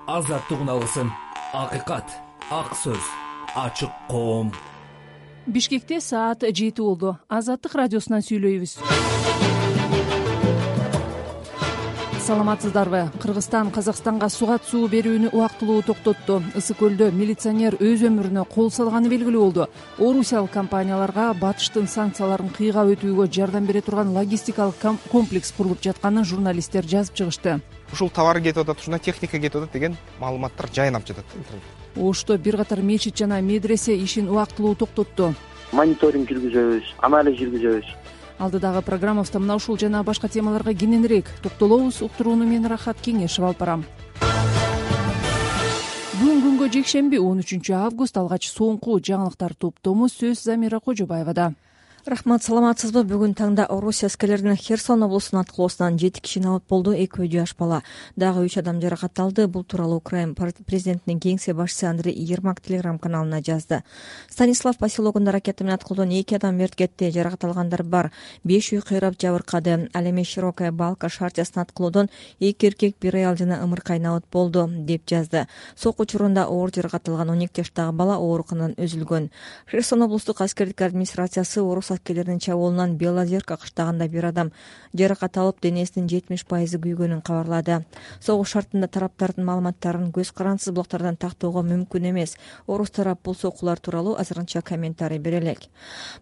азаттык үналысын, акыйкат, ак сөз, ачык коом. Бишкекте саат 7 болду. Азаттык радиосунан сүйлөйбүз. Саламатсыздарбы? Кыргызстан Казакстанга сугат суу берүүнү убактылуу токтотту. Ысык көлдө милиционер өз өмүрүнө кол салганы белгилүү болду. Орусиялык компанияларга батыштын санкцияларын кыйгап өтүүгө жардам бере турган логистикалык комплекс курулуп жатканын журналисттер жазып чыгышты. Ушул товар кетип атат, ушуна техника кетип атат деген маалыматтар жайнап жатат. Ошто бир катар мечит жана медресе ишин убактылуу токтотту. Мониторинг жүргүзөбүз, анализ жүргүзөбүз. Алдыдагы программабызда мына ушул жана башка темаларга кененирээк токтолобуз. Уктурууну мен Рахат Кеңешев алып барам. Бүгүн күнгө жекшемби 13 август. Алгач соңку жаңылыктар топтомуз сөз Замира Кожобаевада. Рахмат, саламатсызбы? Бүгүн таңда Орусия аскерлеринин Херсон облусунун аткылоосунан 7 киши абат болду, 2 жаш бала. Дагы 3 адам жаракат алды. Бул тууралуу Украина президентинин кеңсе башчысы Андрей Ермак телеграм каналына жазды. Станислав поселогунда ракета менен аткылоодон 2 адам мерт кетти, жаракат алгандар бар. 5 үй кыйрап жабыркады. Ал эми Широкая Балка шартиясына аткылоодон 2 эркек, 1 аял жана ымыркай абат болду, деп жазды. Сокку учурунда оор жаракат алган 12 жаштагы бала ооруканадан өзүлгөн. Херсон облустук аскердик администрациясы орус аскерлеринин чабуулунан Белозерка кыштагында 1 адам жаракат алып, денесинин 70% күйгөнүн кабарлады. Согуш шартында тараптардын маалыматтарын көз карансыз блоктардан тактоого мүмкүн эмес. Орус тарап бул соккулар тууралуу азырынча комментарий бере элек.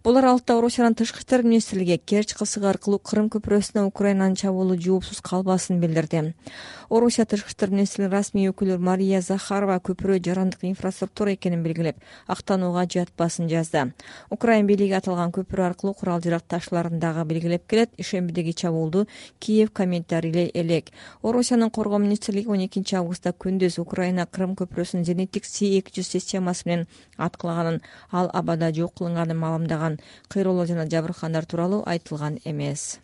Бул аралыкта Орусиянын тышкы иштер министрлиги Керчь кысыгы аркылуу Крым көпүрөсүнө Украинанын чабуулу жоопсуз калбасын билдирди. Орусия тышкы иштер министринин расмий өкүлү Мария Захарова көпүрө жарандык инфраструктура экенин белгилеп, актанууга жатпасын жазды. Украина бийлиги аталган көпүрө аркылуу курал-жарак ташларын дагы белгилеп келет. Ишембидеги чабуулду Киев комментарийлей элек. Орусиянын коргоо министрлиги 12 августта күндүз Украина Крым көпүрөсүнүн зениттик С-200 системасы менен аткылаганын, ал абада жок кылынганын маалымдаган. Кыйроолор жана жабыркагандар тууралуу айтылган эмес.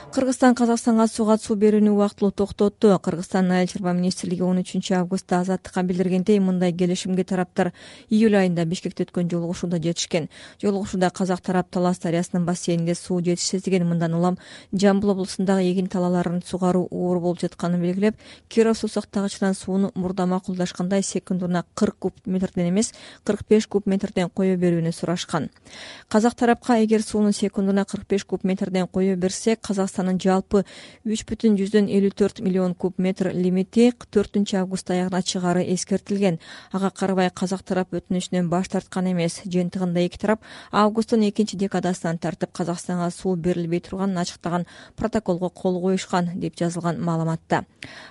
Кыргызстан Казакстанга сугат суу берүүнү убактылуу токтотту. Кыргызстандын айыл чарба министрлиги 13 августта азаттыкка билдиргендей, мындай келишимге тараптар июль айында Бишкекте өткөн жолугушууда жетишкен. Жолугушууда казак тарап Талас дарыясынын бассейнинде суу жетишсиздигин, мындан улам Жамбыл облусундагы эгин талааларын сугаруу оор болуп жатканын белгилеп, Киров суу сактагычынан сууну мурда макулдашкандай секундуна 40 куб метрден эмес, 45 куб метрден кое берүүнү сурашкан. Казак тарапка эгер сууну секундуна 45 куб метрден кое берсе, Казакстандын жалпы 3,54 миллион куб метр лимити 4 август аягына чыгары эскертилген. Ага карабай казак тарап өтүнүшүнөн баш тарткан эмес. Жыйынтыгында эки тарап августтун 2 декадасынан тартып Казакстанга суу берилбей турганын ачыктаган протоколго кол коюшкан, деп жазылган маалыматта.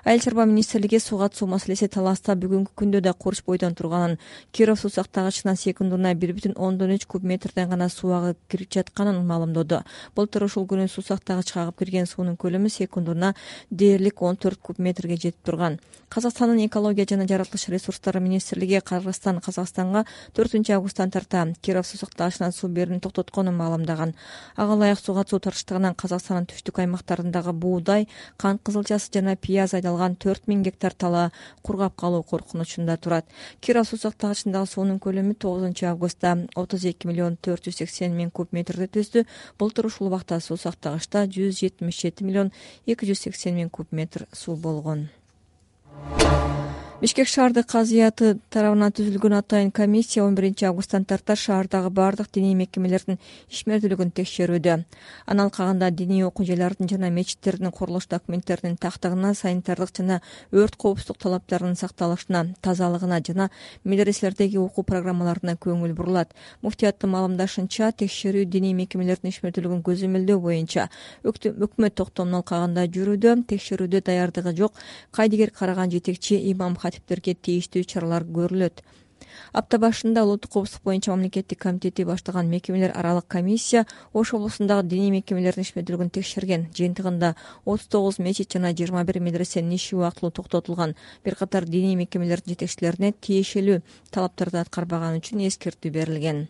Айыл чарба министрлиги сугат суу маселеси Таласта бүгүнкү күндө да курч бойдон турганын, Киров суу сактагычынан секундуна 1,3 куб метрден гана суу агып кирип жатканын маалымдоду. Былтыр ушул күнү суу сактагычка агып кирген суунун көлөмү секундуна дээрлик 14 куб метрге жетип турган. Казакстандын экология жана жаратылыш ресурстары министрлиги Кыргызстан Казакстанга 4 августтан тарта Киров суу сактагычынан суу берүүнү токтотконун маалымдаган. Ага ылайык сугат суу тартыштыгынан Казакстандын түштүк аймактарындагы буудай, кант кызылчасы жана пияз айдалган 4000 гектар талаа кургап калуу коркунучунда турат. Киров суу сактагычындагы суунун көлөмү 9 августта 32 миллион 480 миң куб метрди түздү. Былтыр ушул убакта суу сактагычта 177 миллион 280 миң куб метр суу болгон. Бишкек шаардык казыяты тарабынан түзүлгөн атайын комиссия 11 августтан тарта шаардагы бардык диний мекемелердин ишмердүүлүгүн текшерүүдө. Анын алкагында диний окуу жайлардын жана мечиттердин курулуш документтеринин тактыгына, санитардык жана өрт коопсуздук талаптарынын сакталышына, тазалыгына жана медреселердеги окуу программаларына көңүл бурулат. Муфтияттын маалымдашынча, текшерүү диний мекемелердин ишмердүүлүгүн көзөмөлдөө боюнча өкмөт токтомунун алкагында жүрүүдө. Текшерүүдө даярдыгы жок кайдыгер караган жетекчи имам катиптерге тийиштүү чаралар көрүлөт. Апта башында улуттук коопсуздук боюнча мамлекеттик комитети баштаган мекемелер аралык комиссия Ош облусундагы диний мекемелердин ишмердүүлүгүн текшерген. Жыйынтыгында 39 мечит жана 21 медресенин иши убактылуу токтотулган. Бир катар диний мекемелердин жетекчилерине тиешелүү талаптарды аткарбаганы үчүн эскертүү берилген.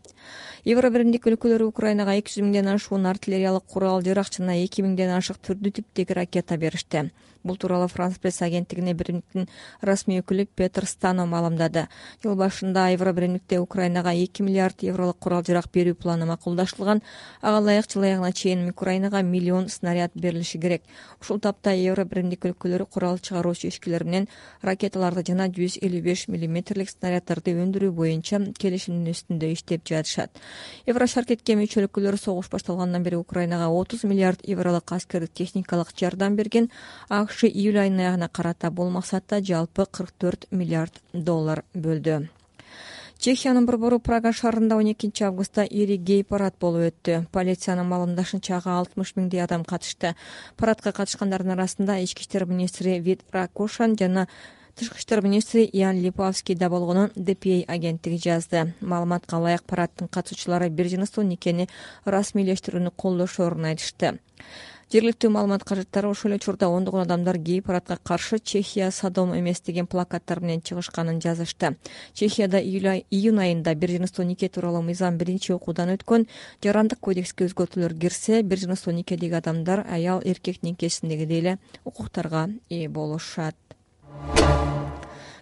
Евробиримдик өлкөлөрү Украинага 200 миңден ашуун артиллериялык курал-жарак жана 2 миңден ашык түрдүү типтеги ракета беришти. Бул тууралуу Франс пресс агенттигине биримдиктин расмий өкүлү Петр Стано маалымдады. Жыл башында Евробиримдикте Украинага 2 миллиард евролук курал-жарак берүү планы макулдашылган. Ага ылайык жыл аягына чейин Украинага миллион снаряд берилиши керек. Ушул тапта Евробиримдик өлкөлөрү курал чыгаруучу ишкерлер менен ракеталарды жана 155 мм снаряддарды өндүрүү боюнча келишимдин үстүндө иштеп жатышат. Еврошаркетке мүчө өлкөлөр согуш башталгандан бери Украинага 30 миллиард евролук аскердик техникалык жардам берген. АКШ июль айынын аягына карата бул максатта жалпы 44 миллиард доллар бөлдү. Чехиянын борбору Прага шаарында 12 августта ири гей парад болуп өттү. Полициянын маалымдашынча ага 60 миңдей адам катышты. Парадка катышкандардын арасында ички иштер министри Вит Ракошан жана тышкы иштер министри Ян Липовский да болгонун DPA агенттиги жазды. Маалыматка ылайык парадтын катышуучулары бир жыныстуу никени расмийлештирүүнү колдошоорун айтышты. Жергиликтүү маалымат кажеттери ошол эле учурда ондогон адамдар гей парадка каршы Чехия Содом эмес деген плакаттар менен чыгышканын жазышты. Чехияда июнь айында бир жыныстуу нике тууралуу мыйзам биринчи окуудан өткөн. Жарандык кодекске өзгөртүүлөр кирсе, бир жыныстуу никедеги адамдар аял эркек никесиндегидей эле укуктарга ээ болушат.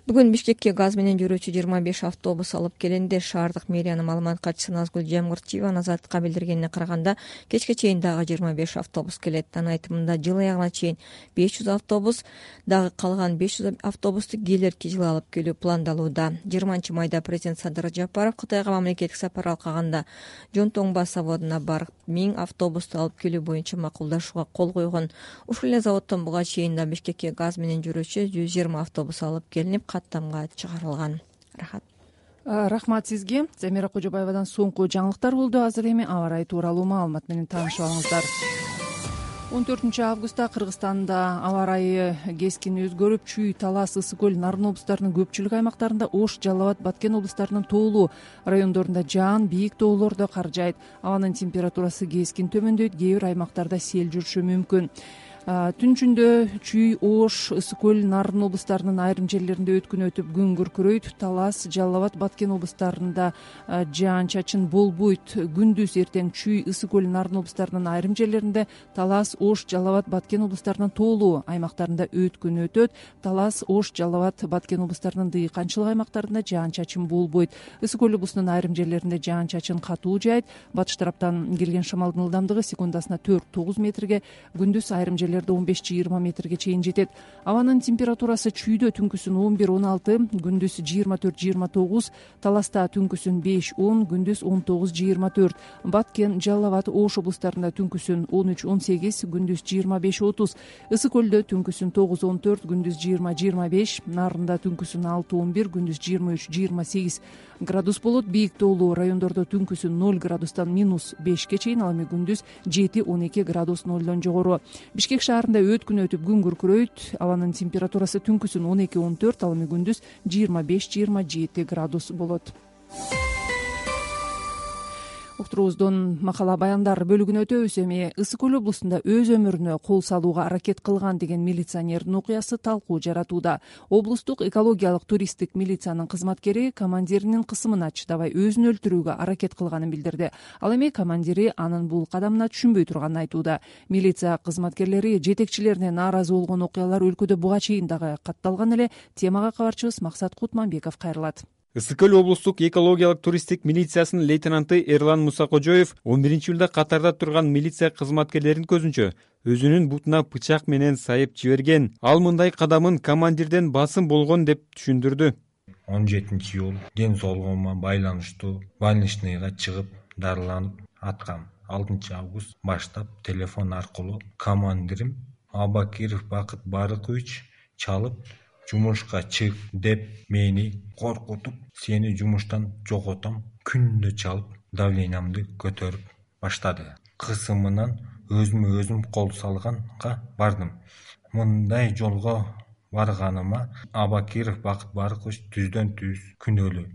Бүгүн Бишкекке газ менен жүрүүчү 25 автобус алып келинди. Шаардык мэриянын маалымат катчысы Назгүл Жамгырчиева Азаттыкка билдиргенине караганда, кечке чейин дагы 25 автобус келет. Анын айтымында жыл аягына чейин 500 автобус, дагы калган 500 автобусту келерки жылы алып келүү пландалууда. 20-майда президент Садыр Ражапаров Кытайга мамлекеттик сапар алганда Жонтоңба заводуна барып 1000 автобусту алып келүү боюнча макулдашууга кол койгон. Ушул эле заводдон буга чейин да Бишкекке газ менен жүрүүчү 120 автобус алып келинип, каттамга чыгарылган. Рахмат сизге. Замира Кожобаевадан соңку жаңылыктар болду. Азыр эми аба ырайы тууралуу маалымат менен таанышып алыңыздар. 14 августта Кыргызстанда аба ырайы кескин өзгөрүп, Чүй, Талас, Ысык көл, Нарын облустарынын көпчүлүк аймактарында, Ош, Жалал Абад, Баткен облустарынын тоолуу райондорунда жаан, бийик тоолордо кар жаайт. Абанын температурасы кескин төмөндөйт, кээ бир аймактарда сел жүрүшү мүмкүн. Түн ичинде Чүй, Ош, Ысык көл, Нарын облустарынын айрым жерлеринде өткүн өтүп күн күркүрөйт. Талас, Жалал Абад, Баткен облустарында жаан-чачын болбойт. Күндүз эртең Чүй, Ысык көл, Нарын облустарынын айрым жерлеринде, Талас, Ош, Жалал Абад, Баткен облустарынын тоолуу аймактарында өткүн өтөт. Талас, Ош, Жалал Абад, Баткен облустарынын дыйканчылык аймактарында жаан-чачын болбойт. Ысык көл облусунун айрым жерлеринде жаан-чачын катуу жаайт. Батыш тараптан келген шамалдын ылдамдыгы секундасына 4-9 метрге, күндүз айрым жерлерде 15-20 метрге чейин жетет. Абанын температурасы Чүйдө түнкүсүн 11-16, күндүз 24-29, Таласта түнкүсүн 5-10, күндүз 19-24, Баткен, Жалал Абад, Ош облустарында түнкүсүн 13-18, күндүз 25-30, Ысык көлдө түнкүсүн 9-14, күндүз 20-25, Нарында түнкүсүн 6-11, күндүз 23-28 градус болот. Бийик тоолуу райондордо түнкүсүн 0 градустан -5ке чейин, ал эми күндүз 7-12 градус нолдон жогору. Бишкек шаарында өткүн өтүп күн күркүрөйт. Абанын температурасы түнкүсүн 12-14, ал эми күндүз 25-27 градус болот. Уктуруубуздун макала баяндар бөлүгүнө өтөбүз. Эми Ысык көл облусунда өз өмүрүнө кол салууга аракет кылган деген милиционердин окуясы талкуу жаратууда. Облустук экологиялык туристтик милициянын кызматкери командиринин кысымына чыдабай өзүн өлтүрүүгө аракет кылганын билдирди. Ал эми командири анын бул кадамына түшүнбөй турганын айтууда. Милиция кызматкерлери жетекчилерине нааразы болгон окуялар өлкөдө буга чейин дагы катталган эле. Темага кабарчыбыз Максат Кутманбеков кайрылат. Ысык көл облустук экологиялык туристтик милициясынын лейтенанты Эрлан Мусакожоев 11-июлда катарда турган милиция кызматкерлеринин көзүнчө өзүнүн бутуна бычак менен сайып жиберген. Ал мындай кадамын командирден басым болгон деп түшүндүрдү. 17-июл ден соолугума байланыштуу больничныйга чыгып дарыланып аткам. 6 август баштап телефон аркылуу командирим Абакиров Бакыт Барыкович чалып, жумушка чык деп мени коркутуп, сени жумуштан жоготом, күндө чалып, давлениямды көтөрүп баштады. Кысымынан өзүм кол салганга бардым. Мындай жолго барганыма Абакиров Бакыт Барыкович түздөн-түз күнөөлүү.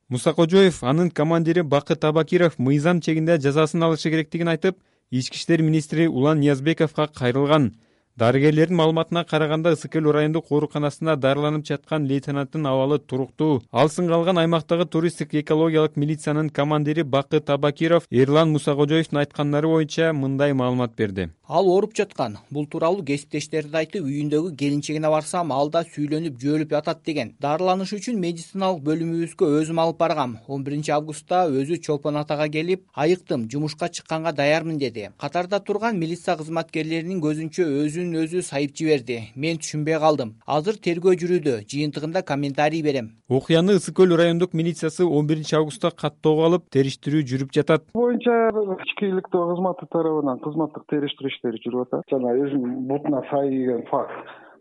Мусакожоев анын командири Бакыт Абакиров мыйзам чегинде жазасын алышы керектигин айтып, ички иштер министри Улан Ниязбековго кайрылган. Дарыгерлердин маалыматына караганда Ысык Көл райондук ооруканасында дарыланып жаткан лейтенанттын абалы туруктуу. Ал сынгалган аймактагы туристтик экологиялык милициянын командири Бакыт Табакиров Эрлан Мусакожоевдун айткандары боюнча мындай маалымат берди. Ал ооруп жаткан. Бул тууралуу кесиптештерине айтып, үйүндөгү келинчегине барсам, ал да сүйлөнүп, жөөлүп ятат деген. Дарыланыш үчүн медициналык бөлүмүбүзгө өзүм алып баргам. 11 августта өзү Чолпон атага келип, айыктым, жумушка чыкканга даярмын деди. Катарда турган милиция кызматкерлеринин көзүнчө өзүн сайып жиберди. Мен түшүнбөй калдым. Азыр тергөө жүрүүдө, жыйынтыгында комментарий берем. Окуяны Ысык Көл райондук милициясы 11 августта каттоого алып, териштирүү жүрүп жатат. Боюнча ички иликтөө кызматы тарабынан кызматтык териштирүү иштери жүрүп атат. Жана өзүнүн бутуна сай деген факт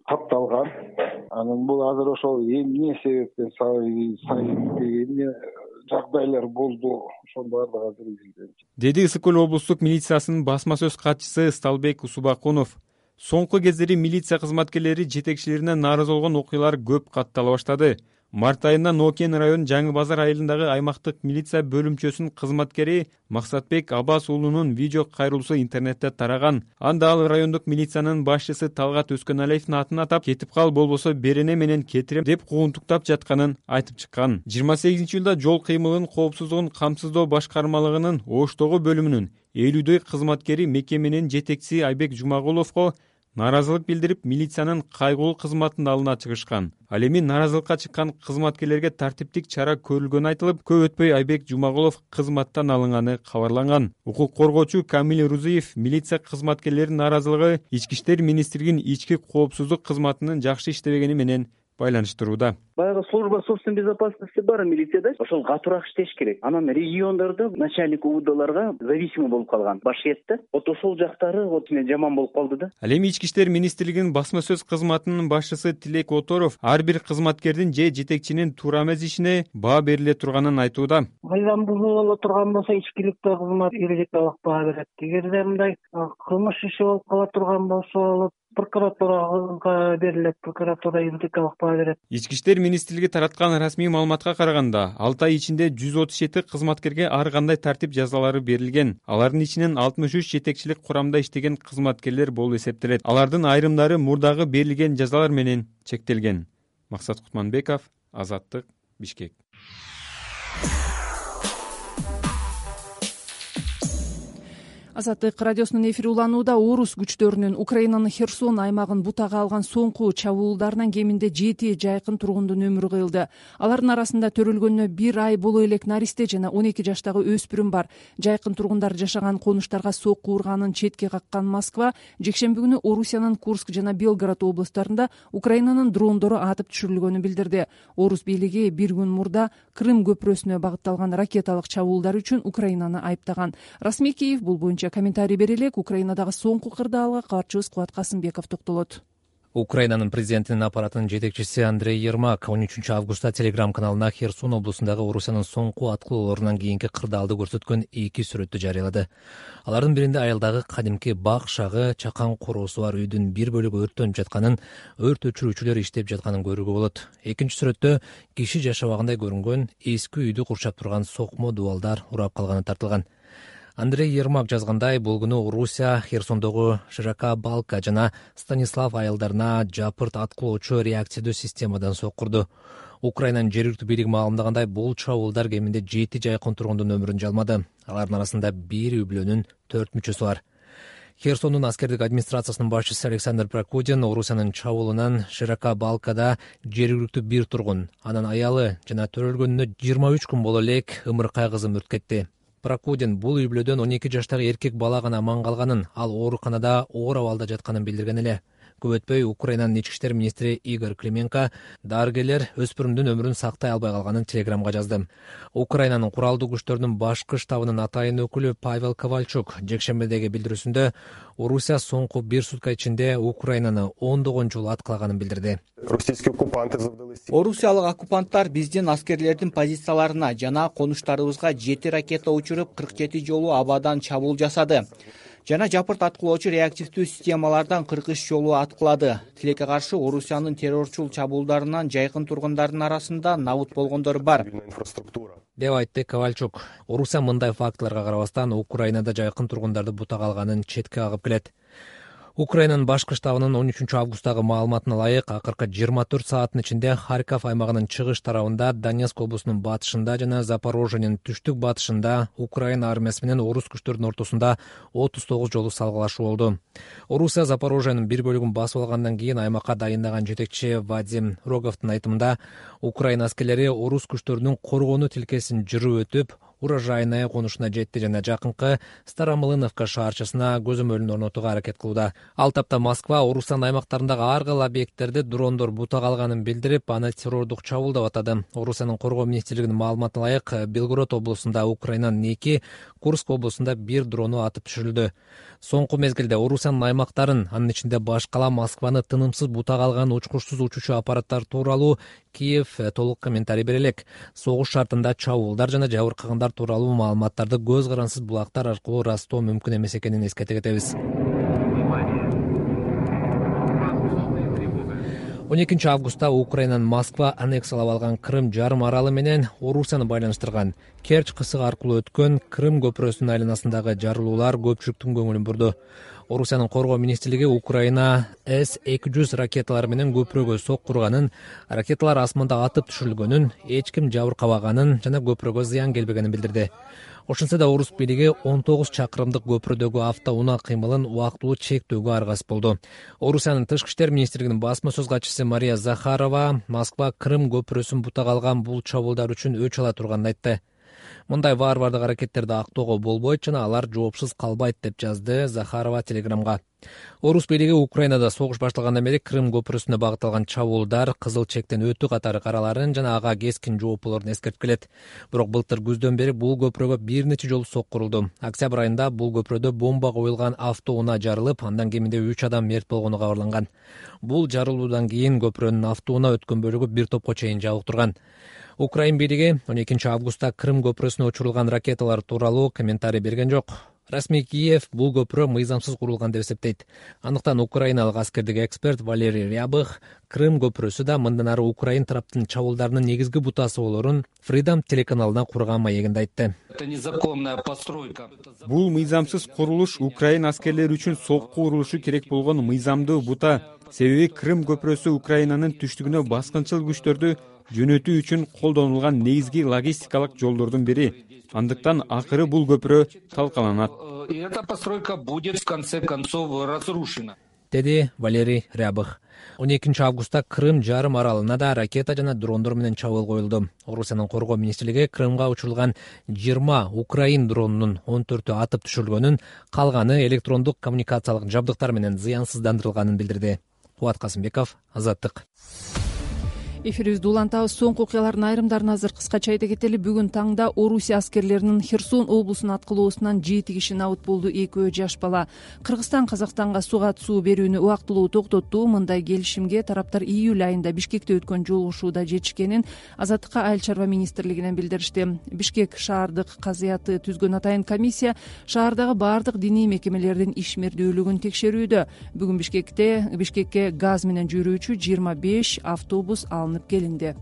катталган. Анан бул азыр ошол эмне себептен сай деген жагдайлар болду, ошонун баардыгы азыр изилденет, деди Ысык Көл облустук милициясынын басма сөз катчысы Сталбек Усубакунов. Соңку кездери милиция кызматкерлери жетекчилерине нааразы болгон окуялар көп каттала баштады. Март айында Нокен район Жаңы Базар айылындагы аймактык милиция бөлүмчөсүнүн кызматкери Максатбек Аббас уулунун видео кайрылуусу интернетте тараган. Анда ал райондук милициянын башчысы Талгат Өскөналиевдин атын атап, кетип кал болбосо берене менен кетирем деп куугунтуктап жатканын айтып чыккан. 28-июлда жол кыймылынын коопсуздугун камсыздоо башкармалыгынын Оштогу бөлүмүнүн 50 кызматкери мекеменин жетекчиси Айбек Жумагуловго нааразылык билдирип, милициянын кайгылуу кызматынын алдына чыгышкан. Ал эми нааразылыкка чыккан кызматкерлерге тартиптик чара көрүлгөнү айтылып, көп өтпөй Айбек Жумагулов кызматтан алынганы кабарланган. Укук коргоочу Камил Рузиев милиция кызматкерлеринин нааразылыгы Ички иштер министрлигинин ички коопсуздук кызматынын жакшы иштебегени менен байланыштырууда. Баягы служба собственной безопасности бар милицияда, ошол катуураак иштеш керек. Анан региондордо начальник УВДларга зависимый болуп калган башкетте. Вот ошол жактары жаман болуп калды да. Ал эми Ички иштер министрлигинин басма сөз кызматынын башчысы Тилек Оторов ар бир кызматкердин же жетекчинин туура эмес ишине баа бериле турганын айтууда. Айдан бузула турган болсо ичкиликтөө кызмат эрежеге алып баа берет. Эгерде мындай кылмыш иши болуп кала турган болсо прокуратурага берилет, прокуратура юридикалык баа берет. Ички иштер министрлиги тараткан расмий маалыматка караганда, 6 ай ичинде 137 кызматкерге ар кандай тартип жазалары берилген. Алардын ичинен 63 жетекчилик курамда иштеген кызматкерлер болуп эсептелет. Алардын айрымдары мурдагы берилген жазалар менен чектелген. Максат Кутманбеков, Азаттык, Бишкек. Азаттык радиосунун эфири уланууда. Орус күчтөрүнүн Украинанын Херсон аймагын бутага алган соңку чабуулдарынан кеминде 7 жайкын тургундун өмүрү кыйылды. Алардын арасында төрөлгөнүнө 1 ай боло элек наристе жана 12 жаштагы өспүрүм бар. Жайкын тургундар жашаган конуштарга сокку урганын четке каккан Москва жекшемби күнү Орусиянын Курск жана Белгород облустарында Украинанын дрондору атып түшүрүлгөнүн билдирди. Орус бийлиги бир күн мурда Крым көпүрөсүнө багытталган ракеталык чабуулдар үчүн Украинаны айыптаган. Расмий Киев бул боюнча комментарий бере элек. Украинадагы соңку кырдаалга кабарчыбыз Кубат Касымбеков токтолот. Украинанын президентинин аппаратынын жетекчиси Андрей Ермак 13 августта Телеграм каналына Херсон облусундагы Орусиянын соңку аткылоолорунан кийинки кырдаалды көрсөткөн 2 сүрөттү жарыялады. Алардын биринде айылдагы кадимки бак шагы, чакан короосу бар үйдүн бир бөлүгү өрттөнүп жатканын, өрт өчүрүүчүлөр иштеп жатканын көрүүгө болот. Экинчи сүрөттө киши жашабагандай көрүнгөн эски үйдү курчап турган сокмо дубалдар урап калганы тартылган. Андрей Ермак жазгандай, бул күнү Орусия Херсондогу Широка Балка жана Станислав айылдарына жапырт аткылоочу реакциядуу системадан соккурду. Украинанын жергиликтүү бийлиги маалымдагандай, бул чабуулдар кеминде 7 жайкын тургундун өмүрүн жалмады. Алардын арасында 1 үй бүлөнүн 4 мүчөсү бар. Херсондун аскердик администрациясынын башчысы Александр Прокудин Орусиянын чабуулунан Широка Балкада жергиликтүү бир тургун, анын аялы жана төрөлгөнүнө 23 күн боло элек ымыркай кызы мүрт кетти. Прокудин бул үй бүлөдөн 12 жаштагы эркек бала гана аман калганын, ал ооруканада оор абалда жатканын билдирген эле. Көп өтпөй Украинанын ички иштер министри Игорь Клименко дарыгерлер өспүрүмдүн өмүрүн сактай албай калганын Телеграмга жазды. Украинанын куралдуу күчтөрүнүн башкы штабынын атайын өкүлү Павел Ковальчук жекшембидеги билдирүүсүндө Орусия соңку 1 сутка ичинде Украинаны 10 жолу аткылаганын билдирди. Орусиялык оккупанттар биздин аскерлердин позицияларына жана конуштарыбызга 7 ракета учуруп 47 жолу абадан чабуул жасады. Жана жапырт аткылоочу реактивдүү системалардан 43 жолу аткылады. Тилекке каршы Орусиянын террорчул чабуулдарынан жайкын тургундардын арасында набут болгондор бар, деп айтты Ковальчук. Орусия мындай фактыларга карабастан Украинада жайкын тургундарды бутага алганын четке кагып келет. Украинанын башкы штабынын 13 августтагы маалыматына ылайык акыркы 24 сааттын ичинде Харьков аймагынын чыгыш тарабында, Донецк облусунун батышында жана Запорожьенин түштүк батышында Украина армиясы менен орус күчтөрүнүн ортосунда 39 жолу салгылашуу болду. Орусия Запорожьенин бир бөлүгүн басып алгандан кийин аймакка дайындаган жетекчи Вадим Роговдун айтымында, Украина аскерлери орус күчтөрүнүн коргонуу тилкесин жүрүп өтүп, урожайная конушуна жетти жана жакынкы Старомлыновка шаарчасына көзөмөлүн орнотууга аракет кылууда. Ал тапта Москва Орусиянын аймактарындагы ар кыл объекттерди дрондор бутак алганын билдирип, аны террордук чабуул деп атады. Орусиянын коргоо министрлигинин маалыматына ылайык, Белгород облусунда Украинанын 2, Курск облусунда 1 дрону атып түшүрүлдү. Соңку мезгилде Орусиянын аймактарын, анын ичинде баш кала Москваны тынымсыз бутак алган учкучсуз учуучу аппараттар тууралуу Киев толук комментарий бере элек. Согуш шартында чабуулдар жана жабыркагандар тууралуу маалыматтарды көз карансыз булактар аркылуу ырастоо мүмкүн эмес экенин эскерте кетебиз. 12 августта Украинанын Москва аннексиялап алган Крым жарым аралы менен Орусияны байланыштырган Керчь кысыгы аркылуу өткөн Крым көпүрөсүнүн айланасындагы жарылуулар көпчүлүктүн көңүлүн бурду. Орусиянын коргоо министрлиги Украина С-200 ракеталары менен көпүрөгө соккурганын, ракеталар асманда атып түшүрүлгөнүн, эч ким жабыркабаганын жана көпүрөгө зыян келбегенин билдирди. Ошентсе да орус бийлиги 19 чакырымдык көпүрөдөгү автоунаа кыймылын убактылуу чектөөгө аргасыз болду. Орусиянын тышкы иштер министрлигинин басма сөз катчысы Мария Захарова Москва Крым көпүрөсүн бутак алган бул чабуулдар үчүн өч ала турганын айтты. Мындай варвардык аракеттерди актоого болбойт жана алар жоопсуз калбайт деп жазды Захарова Телеграмга. Орус бийлиги Украинада согуш башталгандан бери Крым көпүрөсүнө багытталган чабуулдар кызыл чектен өтүү катары караларын жана ага кескин жооп болорун эскертип келет. Бирок былтыр күздөн бери бул көпүрөгө бир нече жолу соккурулду. Октябрь айында бул көпүрөдө бомба коюлган автоунаа жарылып, андан кеминде 3 адам мерт болгону кабарланган. Бул жарылуудан кийин көпүрөнүн автоунаа өткөн бөлүгү бир топко чейин жабык турган. Украин бийлиги 12 августта Крым көпүрөсүнө учурулган ракеталар тууралуу комментарий берген жок. Расмий Киев бул көпүрө мыйзамсыз курулган деп эсептейт. Андыктан украиналык аскердик эксперт Валерий Рябых Крым көпүрөсү да мындан ары Украин тараптын чабуулдарынын негизги бутасы болорун Freedom телеканалына курган маегинде айтты. Бул мыйзамсыз курулуш Украин аскерлери үчүн сокку урулушу керек болгон мыйзамдуу бута. Себеби Крым көпүрөсү Украинанын түштүгүнө баскынчыл күчтөрдү жөнөтүү үчүн колдонулган негизги логистикалык жолдордун бири. Андыктан акыры бул көпүрө талкаланат. Эта постройка будет в конце концов разрушена, деди Валерий Рябых. 12 августта Крым жарым аралына да ракета жана дрондор менен чабуул коюлду. Орусиянын коргоо министрлиги Крымга учурулган 20 Украин дронунун 14-ü атып түшүрүлгөнүн, калганы электрондук коммуникациялык жабдыктар менен зыянсыздандырылганын билдирди. Кубат Касымбеков, Азаттык. Эфирибизди улантабыз. Соңку окуялардын айрымдарын азыр кыскача айта кетели. Бүгүн таңда Орусия аскерлеринин Херсон облусуна аткылоосунан 7 киши набыт болду. 2 жаш бала. Кыргызстан Казакстанга суга суу берүүнү убактылуу токтотту. Мындай келишимге тараптар июль айында Бишкекте өткөн жолугушууда жетишкенин Азаттыкка Айыл чарба министрлигинен билдиришти. Бишкек шаардык казыяты түзгөн атайын комиссия шаардагы бардык диний мекемелердин ишмердүүлүгүн текшерүүдө. Бүгүн Бишкекке газ менен жүрүүчү 25 автобус алынып келинди.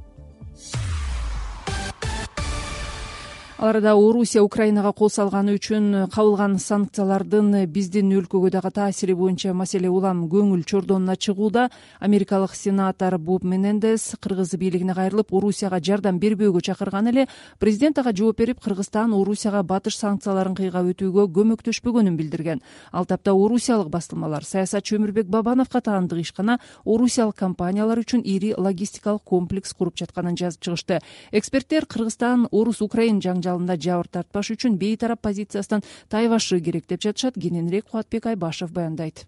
Аларда Орусия Украинага кол салганы үчүн кабылган санкциялардын биздин өлкөгө дагы таасири боюнча маселе улам көңүл чордонуна чыгууда. Америкалык сенатор Боб Менендес кыргыз бийлигине кайрылып, Орусияга жардам бербөөгө чакырган эле президент ага жооп берип, Кыргызстан Орусияга батыш санкцияларын кыйгап өтүүгө көмөктөшпөгөнүн билдирген. Ал тапта орусиялык бастылмалар саясатчы Өмүрбек Бабановго таандык ишкана орусиялык компаниялар үчүн ири логистикалык комплекс куруп жатканын жазып чыгышты. Эксперттер Кыргызстан Орус-Украин жаңжалында жабыр тартпаш үчүн бейтарап позициясынан тайбашы керек деп жатышат. Кененирээк Кубатбек Айбашев баяндайт.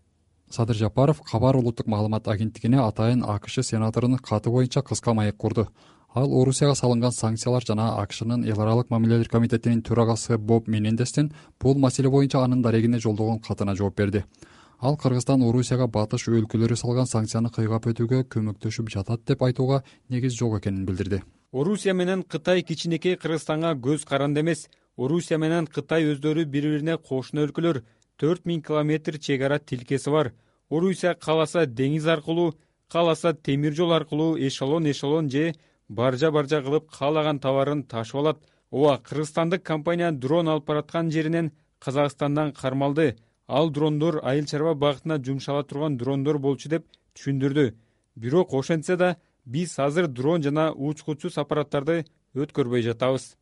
Садыр Жапаров Кабар улуттук маалымат агенттигине атайын АКШ сенаторунун каты боюнча кыска маек курду. Ал Орусияга салынган санкциялар жана АКШнын эл аралык мамилелер комитетинин төрагасы Боб Менендестин бул маселе боюнча анын дарегине жолдогон катына жооп берди. Ал Кыргызстан Орусияга батыш өлкөлөрү салган санкцияны кыйгап өтүүгө көмөктөшүп жатат деп айтууга негиз жок экенин билдирди. Орусия менен Кытай кичинекей Кыргызстанга көз каранды эмес. Орусия менен Кытай өздөрү бири-бирине кошуна өлкөлөр. 4000 километр чек ара тилкеси бар. Орусия кааласа деңиз аркылуу, кааласа темир жол аркылуу эшелон же баржа кылып каалаган товарын ташып алат. Ооба, кыргызстандык компания дрон алып бараткан жеринен Казакстандан кармалды. Ал дрондор айыл чарба багытына жумшала турган дрондор болчу деп түшүндүрдү. Бирок ошентсе да биз азыр дрон жана учкучсуз аппараттарды өткөрбөй жатабыз.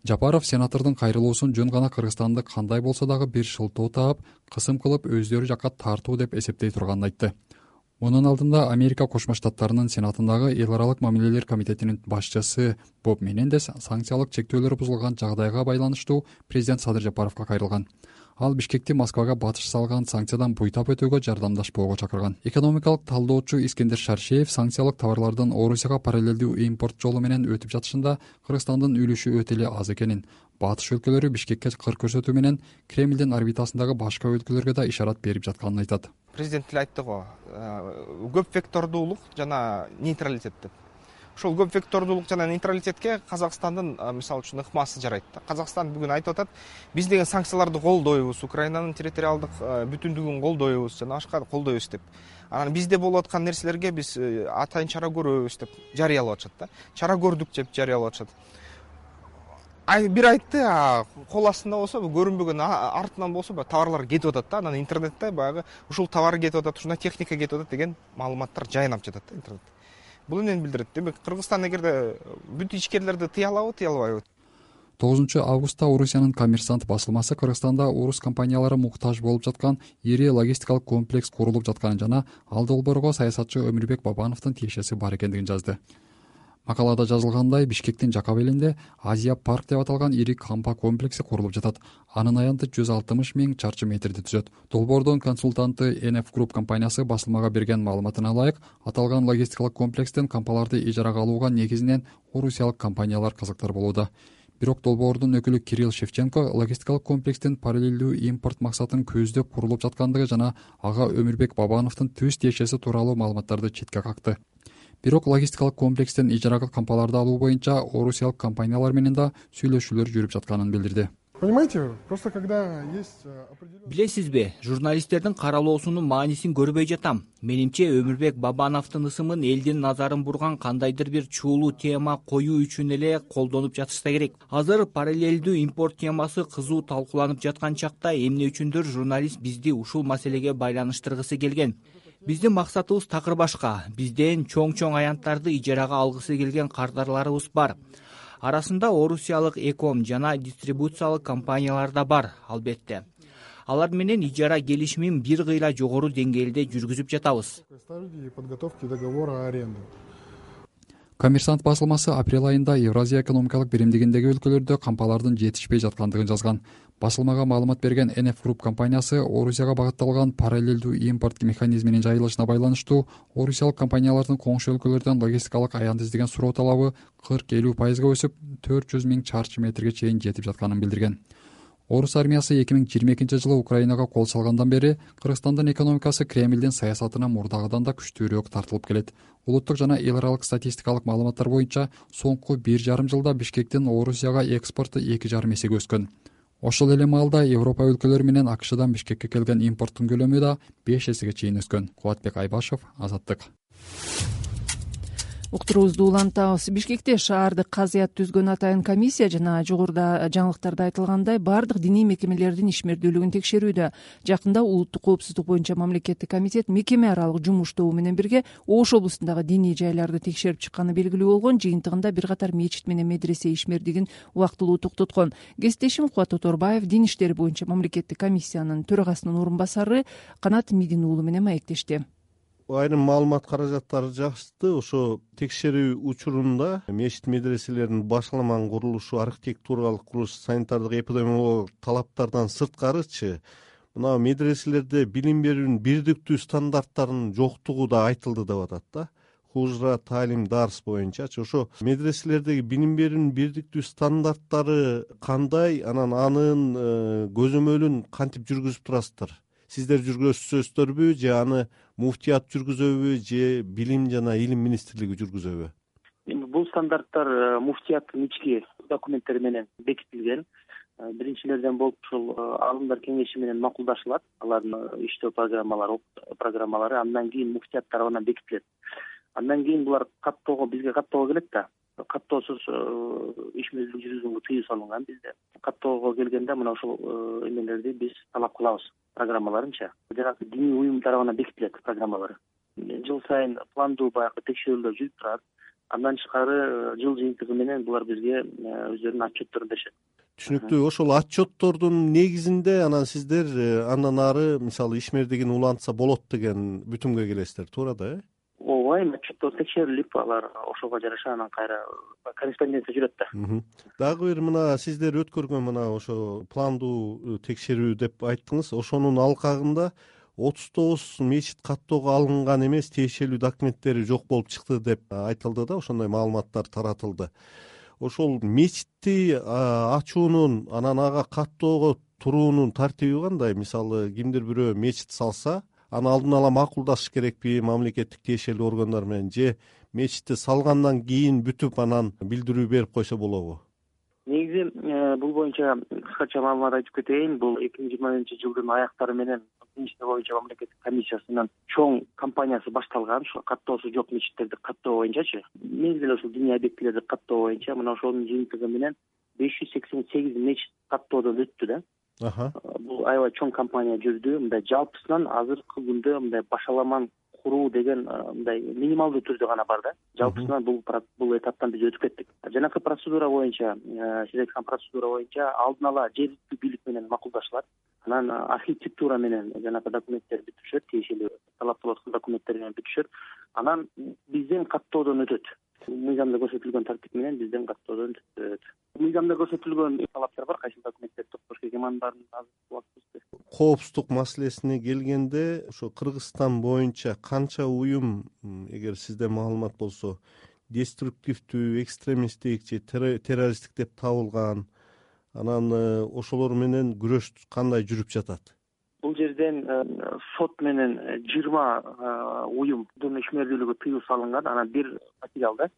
Жапаров сенатордун кайрылуусун жөн гана Кыргызстанды кандай болсо дагы бир шылтоо таап, кысым кылып өздөрү жакка тартуу деп эсептей турганын айтты. Мунун алдында Америка Кошмо Штаттарынын Сенатындагы эл аралык мамилелер комитетинин башчысы Боб Менендес санкциялык чектөөлөр бузулган жагдайга байланыштуу президент Садыр Жапаровго кайрылган. Ал Бишкекти Москвага батыш салган санкциядан буйтап өтүүгө жардамдашпоого чакырган. Экономикалык талдоочу Искендер Шаршеев санкциялык товарлардын Орусияга параллелдүү импорт жолу менен өтүп жатышында Кыргызстандын үлүшү өтө эле аз экенин, батыш өлкөлөрү Бишкекке кыр көрсөтүү менен Кремлдин орбитасындагы башка өлкөлөргө да ишарат берип жатканын айтат. Президент эле айтты го, көп вектордуулук жана нейтралитет деп. Ошол көп вектордуулук жана нейтралитетке Казакстандын мисалы үчүн ыкмасы жарайт. Казакстан бүгүн айтып атат, биз деген санкцияларды колдойбуз, Украинанын территориалдык бүтүндүгүн колдойбуз жана башка колдойбуз деп. Анан бизде болуп аткан нерселерге биз атайын чара көрөбүз деп жарыялап атышат да. Чара көрдүк деп жарыялап атышат. Бир айтты, кол астында болсо, көрүнбөгөн артынан болсо товарлар кетип атат да, анан интернетте баягы ушул товар кетип атат, ушундай техника кетип атат деген маалыматтар жайнап жатат да интернетте. Бул эмнени билдирет? Демек, Кыргызстан эгерде бүт ичкерлерди тыя алабы, тыя албайбы? 9 августта Орусиянын Коммерсант басылмасы Кыргызстанда орус компаниялары муктаж болуп жаткан ири логистикалык комплекс курулуп жатканын жана ал долбоорго саясатчы Өмүрбек Бабановдун тиешеси бар экендигин жазды. Макалада жазылгандай, Бишкектин жакап элинде Азия парк деп аталган ири кампа комплекси курулуп жатат. Анын аянты 160 000 чарчы метрди түзөт. Долбоордун консультанты NF Group компаниясы басылмага берген маалыматына ылайык, аталган логистикалык комплекстен кампаларды ижарага алууга негизинен орусиялык компаниялар кызыктар болууда. Бирок долбоордун өкүлү Кирилл Шевченко логистикалык комплекстин параллелдүү импорт максатын көздөп курулуп жаткандыгы жана ага Өмүрбек Бабановдун төз тиешеси тууралуу маалыматтарды четке какты. Бирок логистикалык комплекстен ижарага кампаларды алуу боюнча орусиялык компаниялар менен да сүйлөшүүлөр жүрүп жатканын билдирди. Понимаете, просто когда есть Билесизби, журналисттердин каралоосунун маанисин көрбөй жатам. Менимче Өмүрбек Бабановдун ысымын элдин назарын бурган кандайдыр бир чуулуу тема коюу үчүн эле колдонуп жатышса керек. Азыр параллелдүү импорт темасы кызуу талкууланып жаткан чакта эмне үчүндүр журналист бизди ушул маселеге байланыштыргысы келген. Биздин максатыбыз такыр башка. Бизден чоң аянттарды ижарага алгысы келген кардарларыбыз бар. Арасында орусиялык эком жана дистрибуциялык компаниялар да бар, албетте. Алар менен ижара келишимин бир кыйла жогору деңгээлде жүргүзүп жатабыз. подготовки договора аренды. Коммерсант басылмасы апрель айында Евразия экономикалык биримдигиндеги өлкөлөрдө кампалардын жетишпей жаткандыгын жазган. Басылмага маалымат берген NF Group компаниясы Орусияга багытталган параллелдүү импорт механизминин жайылышына байланыштуу орусиялык компаниялардын коңшу өлкөлөрдөн логистикалык аянт издеген суроо талабы 40-50% өсүп 400 000 чарчы метрге чейин жетип жатканын билдирген. Орус армиясы 2022 жылы Украинага кол салгандан бери Кыргызстандын экономикасы Кремлдин саясатына мурдагыдан да күчтүүрөөк тартылып келет. Улуттук жана эл аралык статистикалык маалыматтар боюнча соңку 1,5 жылда Бишкектин Орусияга экспорту 2,5 эсеге өскөн. Ошол эле маалда Европа өлкөлөрү менен АКШдан Бишкекке келген импорттун көлөмү да 5 эсеге чейин өскөн. Кубатбек Айбашев, Азаттык. Уктуруубузду улантабыз. Бишкекте шаардык казыят түзгөн атайын комиссия жана жогоруда жаңылыктарда айтылгандай баардык диний мекемелердин ишмердүүлүгүн текшерүүдө. Жакында улуттук коопсуздук боюнча мамлекеттик комитет мекеме аралык жумуш тобу менен бирге Ош облусундагы диний жайларды текшерип чыкканы белгилүү болгон. Жыйынтыгында бир катар мечит менен медресе ишмердигин убактылуу токтоткон. Кесиптешим Кубат Тоторбаев дин иштери боюнча мамлекеттик комиссиянын төрагасынын орун басары Канат Мидин уулу менен маектешти. Айрым маалымат каражаттары жашты. Ошо текшерүү учурунда мечит медреселердин башламан курулушу, архитектуралык курулуш, санитардык эпидемиологиялык талаптардан сырткарычы мына медреселерде билим берүүнүн бирдиктүү стандарттарынын жоктугу да айтылды деп атат да. Хужра, таалим, дарс боюнчачы ошо медреселердеги билим берүүнүн бирдиктүү стандарттары кандай, анан анын көзөмөлүн кантип жүргүзүп турасыздар? Сиздер жүргүзөсүздөрбү же аны муфтият жүргүзөбү же билим жана илим министрлиги жүргүзөбү? Бул стандарттар муфтияттын ички документтери менен бекитилген. Биринчилерден болуп ушул алымдар кеңеши менен макулдашылат. Алардын иштөө программалары андан кийин муфтият тарабынан бекитилет. Андан кийин булар бизге каттоого келет да. каттоосуз иш мезгилин жүргүзүүгө тыюу салынган бизде. Каттоого келгенде мына ушул эмелерди биз талап кылабыз, программаларынча. Жанагы диний уюм тарабынан бекитилет программалар. Жыл сайын пландуу баягы текшерүүлөр жүрүп турат. Андан тышкары жыл жыйынтыгы менен булар бизге өздөрүнүн отчетторун беришет. Түшүнүктүү. Ошол отчеттордун негизинде анан сиздер андан ары мисалы ишмердигин улантса болот деген бүтүмгө келесиздер, туура да, э? Ооба, отчеттор текшерилип, алар ошого жараша анан кайра корреспонденция жүрөт да. Дагы бир мына сиздер өткөргөн мына ошо пландуу текшерүү деп айттыңыз. Ошонун алкагында 39 мечит каттоого алынган эмес, тиешелүү документтери жок болуп чыкты деп айтылды да, ошондой маалыматтар таратылды. Ошол мечитти ачуунун, анан ага каттоого туруунун тартиби кандай? Мисалы, кимдир бирөө мечит салса, аны алдын ала макулдашыш керекпи мамлекеттик тиешелүү органдар менен, же мечитти салгандан кийин бүтүп анан билдирүү берип койсо болобу? Негизи бул боюнча кыскача маалымат айтып кетейин. Бул 2020-жылдын аяктары менен дин иштери боюнча мамлекеттик комиссиясынын чоң кампаниясы башталган. Ошо каттоосу жок мечиттерди каттоо боюнчачы. Негизи ошол диний объектилерди каттоо боюнча мына ошонун жыйынтыгы менен 588 мечит каттоодон өттү да. Бул аябай чоң кампания жүрдү. Мындай жалпысынан азыркы күндө мындай башаламан куруу деген мындай минималдуу түрдө гана бар да. Жалпысынан бул этаптан биз өтүп кеттик. Жанакы процедура боюнча, сиз айткан процедура боюнча алдын ала жергиликтүү бийлик менен макулдашылат. Анан архитектура менен жанакы документтер бүтүшөт, тиешелүү талап кылып аткан документтер менен бүтүшөт. Анан бизден каттоодон өтөт. Мыйзамда көрсөтүлгөн тартип менен бизден каттоодон өтөт. Мыйзамда көрсөтүлгөн талаптар бар, кайсы документтерди топтош керек, эмандардын коопсуздук маселесине келгенде, ошо Кыргызстан боюнча канча уюм, эгер сизде маалымат болсо, деструктивдүү, экстремисттик же террористтик деп табылган, анан ошолор менен күрөш кандай жүрүп жатат? Бул жерден сот менен 20 уюмдун ишмердүүлүгү тыюу салынган. Анан бир материал да,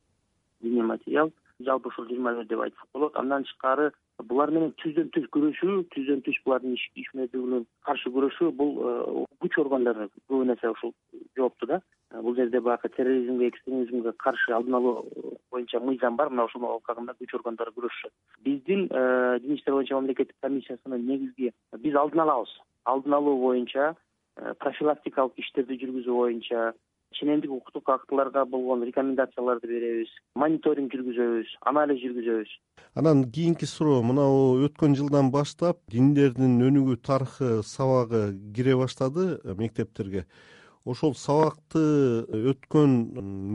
диний материал, жалпы ушул 20 деп айтсак болот. Андан тышкары булар менен түздөн түз булардын ишмердүүлүгүнө каршы күрөшүү, бул күч органдары көбүн эсе ушул жоопту да. Бул жерде баягы терроризмге, экстремизмге каршы алдын алуу боюнча мыйзам бар, мына ошол алкагында күч органдары күрөшүшөт. Биздин дин иштери боюнча мамлекеттик комиссиясынын негизги биз алдын алабыз. Алдын алуу боюнча, профилактикалык иштерди жүргүзүү боюнча, ченемдик укуктук актыларга болгон рекомендацияларды беребиз, мониторинг жүргүзөбүз, анализ жүргүзөбүз. Анан кийинки суроо, мына өткөн жылдан баштап диндердин өнүгүү тарыхы сабагы кире баштады мектептерге. Ошол сабакты өткөн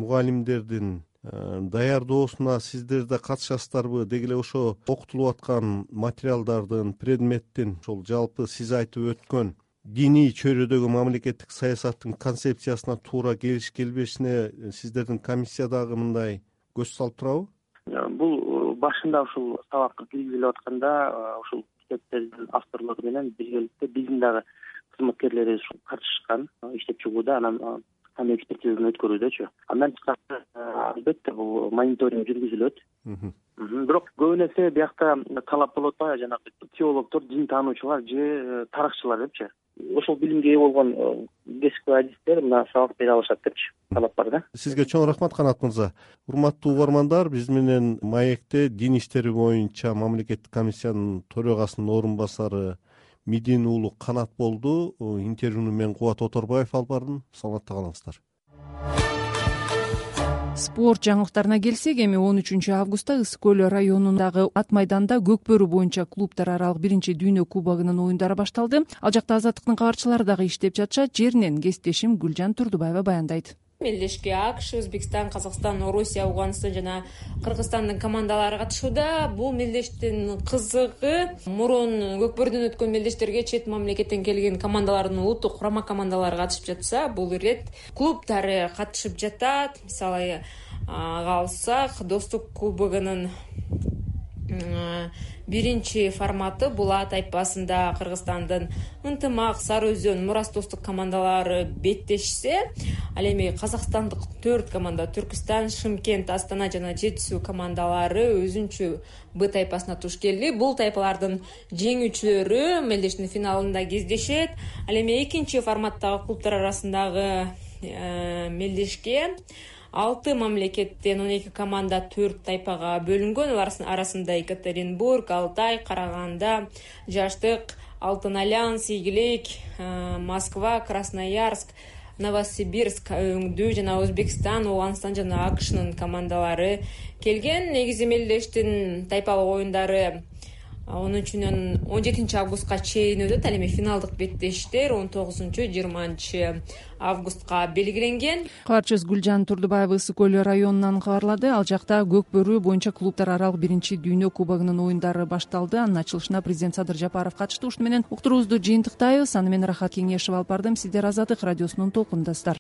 мугалимдердин даярдоосуна сиздер да катышасыздарбы? Деги эле ошо окутулуп аткан материалдардын, предметтин, ошол жалпы сиз айтып өткөн диний чөйрөдөгү мамлекеттик саясаттын концепциясына туура келиш келбешине сиздердин комиссия дагы мындай көз салып турабы? Бул башында ушул сабакка киргизилип атканда ушул китептердин авторлору менен биргеликте биздин дагы кызматкерлерибиз катышышкан иштеп чыгууда, анан экспертизаны өткөрүүдөчү. Андан тышкары албетте бул мониторинг жүргүзүлөт. Бирок көбүн эсе биякта талап болуп атпайбы, жанагы теологдор, дин таануучулар же тарыхчылар депчи. Ошол билимге ээ болгон кесипкөй адистер мына сабак бере алышат депчи талап бар да. Сизге чоң рахмат, Канат мырза. Урматтуу угармандар, биз менен маекте дин иштери боюнча мамлекеттик комиссиянын төрагасынын орун басары Мидин уулу Канат болду. Интервьюну мен Кубат Оторбаев алып бардым. Саламатта калыңыздар. Спорт жаңылыктарына келсек, эми 13 августта Ысык көл районундагы ат майданда Көкбөрү боюнча клубтар аралык биринчи дүйнө кубогунун оюндары башталды. Ал жакта Азаттыктын кабарчылары дагы иштеп жатышат. Жеринен кесиптешим Гүлжан Турдубаева баяндайт. Мелдешке АКШ, Өзбекстан, Казакстан, Орусия, Ауганстан жана Кыргызстандын командалары катышууда. Бул мелдештин кызыгы мурун Көкбөрүдөн өткөн мелдештерге чет мамлекеттен келген командалардын улуттук курама командалары катышып жатса, бул ирет клубтары катышып жатат. Мисалы алсак, Достук кубогунун биринчи форматы Булат тайпасында Кыргызстандын Ынтымак, Сары Өзөн, Мурас достук командалары беттешсе, ал эми казакстандык 4 команда Түркүстан, Шымкент, Астана жана Жетисүү командалары өзүнчө Б тайпасына туш келди. Бул тайпалардын жеңүүчүлөрү мелдештин финалында кездешет. Ал эми экинчи форматтагы клубтар арасындагы мелдешке 6 мамлекеттен 12 команда 4 тайпага бөлүнгөн. Алар арасында Екатеринбург, Алтай, Караганда, Жаштык, Алтын Альянс, Игилик, Москва, Красноярск, Новосибирск, Өңдүү жана Өзбекстан, Ооганстан жана АКШнын командалары келген. Негизи мелдештин тайпалык оюндары 13-17 августка чейин өтөт. Ал эми финалдык беттештер 19-20 августка белгиленген. Кабарчыбыз Гүлжан Турдубаева Ысык көл районунан кабарлады. Ал жакта көк бөрү боюнча клубтар аралык 1-дүйнө кубогунун оюндары башталды. Анын ачылышына президент Садыр Жапаров катышты. Ушуну менен уктуруубузду жыйынтыктайбыз. Аны мен Рахат Кеңешев алып бардым. Сиздер Азаттык радиосунун толкунундасыздар.